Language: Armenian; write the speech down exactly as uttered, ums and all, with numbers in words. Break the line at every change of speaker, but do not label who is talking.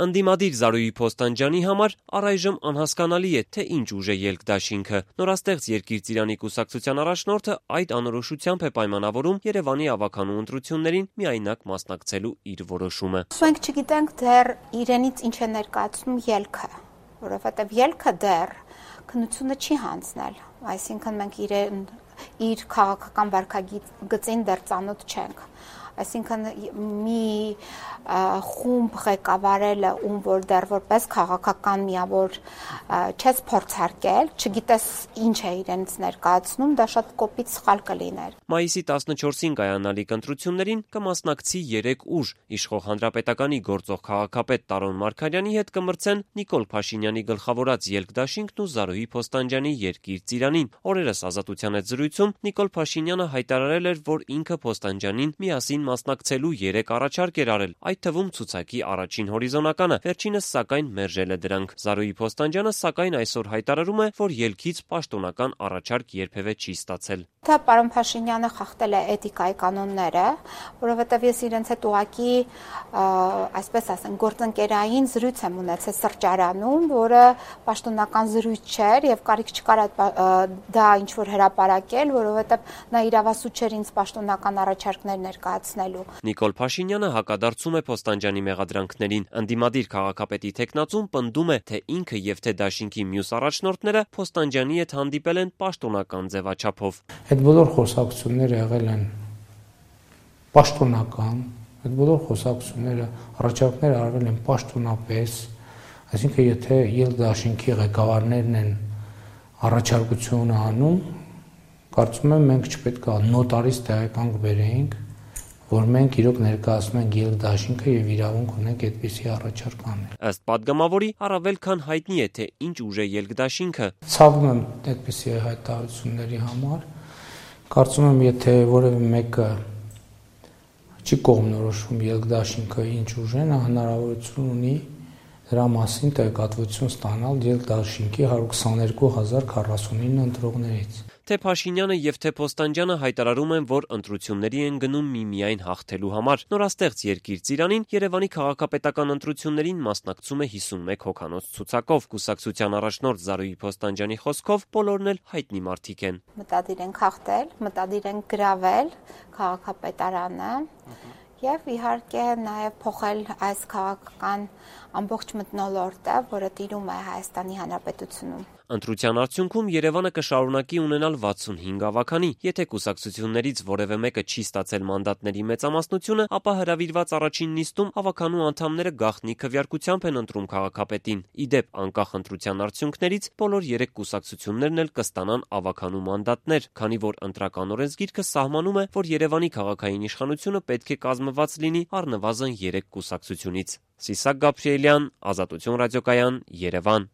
Ընդդիմադիր Զարուհի Փոստանջյանի համար առայժմ անհասկանալի է, թե ինչ ուժ է ելք դաշինքը։ Նորաստեղծ Երկիր Ծիրանի կուսակցության առաջնորդը այդ անորոշությամբ է պայմանավորում Երևանի ավականու ընտրություններին միայնակ մասնակցելու իր որոշումը։
Մենք չգիտենք դեռ իրենից ինչ է ներկայացնում ելքը, որովհետև ելքը դեռ քննությունը չի հանձնել, այսինքն մենք իրեն իր քաղաքական վարքագծին դեռ ծանոթ չենք, այսինքն մի խումբ ղեկավարելը, ում որ դեռ որպես քաղաքական միավոր չես փորձարկել, չգիտես ինչ է իրենց ներկայացնում, դա շատ կոպիտ սխալ կլիներ։
Մայիսի տասնչորսին կայանալիք ընտրություններին կմասնակցի երեք ուժ՝ իշխող Հանրապետականի գործող քաղաքապետ Տարոն Մարգարյանի հետ կմրցեն Նիկոլ Փաշինյանի գլխավորած Ելք դաշինքն ու Զարուհի Փոստանջյանի Երկիր Ծիրանին։ Օրերս Ազատության հետ զրույցում Նիկոլ Փաշինյանը հայտարարել էր, որ ինքը Փոստանջյանին միասին մասնակցելու երեք առաջարկ էր արել, այդ թվում ցուցակի առաջին հորիզոնականը, վերջինս սակայն մերժել է դրանք։ Զարուհի Փոստանջյանը սակայն այսօր հայտարարում է, որ ելքից պաշտոնական առաջարկ երբևէ չի ստացել։
Դա պարոն Փաշինյանը խախտել է էթիկայի կանոնները, որովհետև ես իրենց հետ ուղղակի, այսպես ասեմ, գործընկերային զրույց եմ ունեցել սրճարանում, որը պաշտոնական զրույց չէր եւ կարիք չկար դա ինչ որ հրապարակել, որովհետև նա իրավասու չէր ինձ պաշտոնական առաջարկներ ներկայացնելու։
Նիկոլ Փաշինյանը հակադարձում է Փոստանջյանի մեղադրանքներին։ Ընդդիմադիր քաղաքապետի թեկնածուն պնդում է, թե ինքը եւ թե դաշինքի մյուս առաջնորդները Փոստանջյանի հետ հանդիպել են պաշտոնական ձևաչափով։
Այդ բոլոր խոսակցությունները եղել են պաշտոնական, այդ բոլոր խոսակցությունները, առաջարկները արվել են պաշտոնապես, այսինքն եթե Ելք դաշինքի ղեկավարներն են առաջարկությունը անում, կարծում եմ մենք չպետք է նոտարից տեղեկանք բերեինք, որ մենք իրոք ներկայացնում ենք Ելք դաշինքը եւ իրավունք ունենք այդպիսի առաջարկ անել։
Ըստ պատգամավորի, առավել քան հայտնի է, թե ինչ ուժ է Ելք դաշինքը։
Ցավում եմ այդպիսի հայտարարությունների համար։ Կարծում եմ, եթե որևէ մեկը չի կողմնորոշվում Ելք դաշինքը ինչ ուժ է, նա հնարավորություն ունի դրա մասին տեղեկատվություն ստանալ Ելք դաշինքի հարյուր քսաներկու հազար քառասունինը ընտրողներից։
Թե Փաշինյանը եւ թե Փոստանջյանը հայտարարում են, որ ընտրությունների են գնում միմիայն հաղթելու համար։ Նորաստեղծ Երկիր Ծիրանին Երևանի քաղաքապետական ընտրություններին մասնակցում է հիսունմեկ հոգանոց ցուցակով։ Կուսակցության առաջնորդ Զարուհի Փոստանջյանի խոսքով բոլորն էլ հայտնի մարդիկ են։
Մտադիր են հաղթել, մտադիր են գրավել քաղաքապետարանը եւ իհարկե նաեւ փոխել այս քաղաքական ամբողջ մթնոլորտը, որը տիրում է Հայաստանի Հանրապետությունում։
Ընտրության արդյունքում Երևանը կշարունակի ունենալ վաթսունհինգ ավագանի։ Եթե կուսակցություններից որևէ մեկը չի ստացել մանդատների մեծամասնությունը, ապա հրավիրված առաջին նիստում ավականու անդամները գաղտնի քվեարկությամբ են ընտրում քաղաքապետին։ Ի դեպ, անկախ ընտրության արդյունքներից բոլոր երեք կուսակցություններն էլ կստանան ավականու մանդատներ, քանի որ ընտրական օրենսգիրքը սահմանում է, որ Երևանի քաղաքային իշխանությունը պետք է կազմված լինի առնվազն երեք կուսակցությունից։ Սիսակ Գաբրիելյան, Ազատություն ռադիոկայան, Երևան։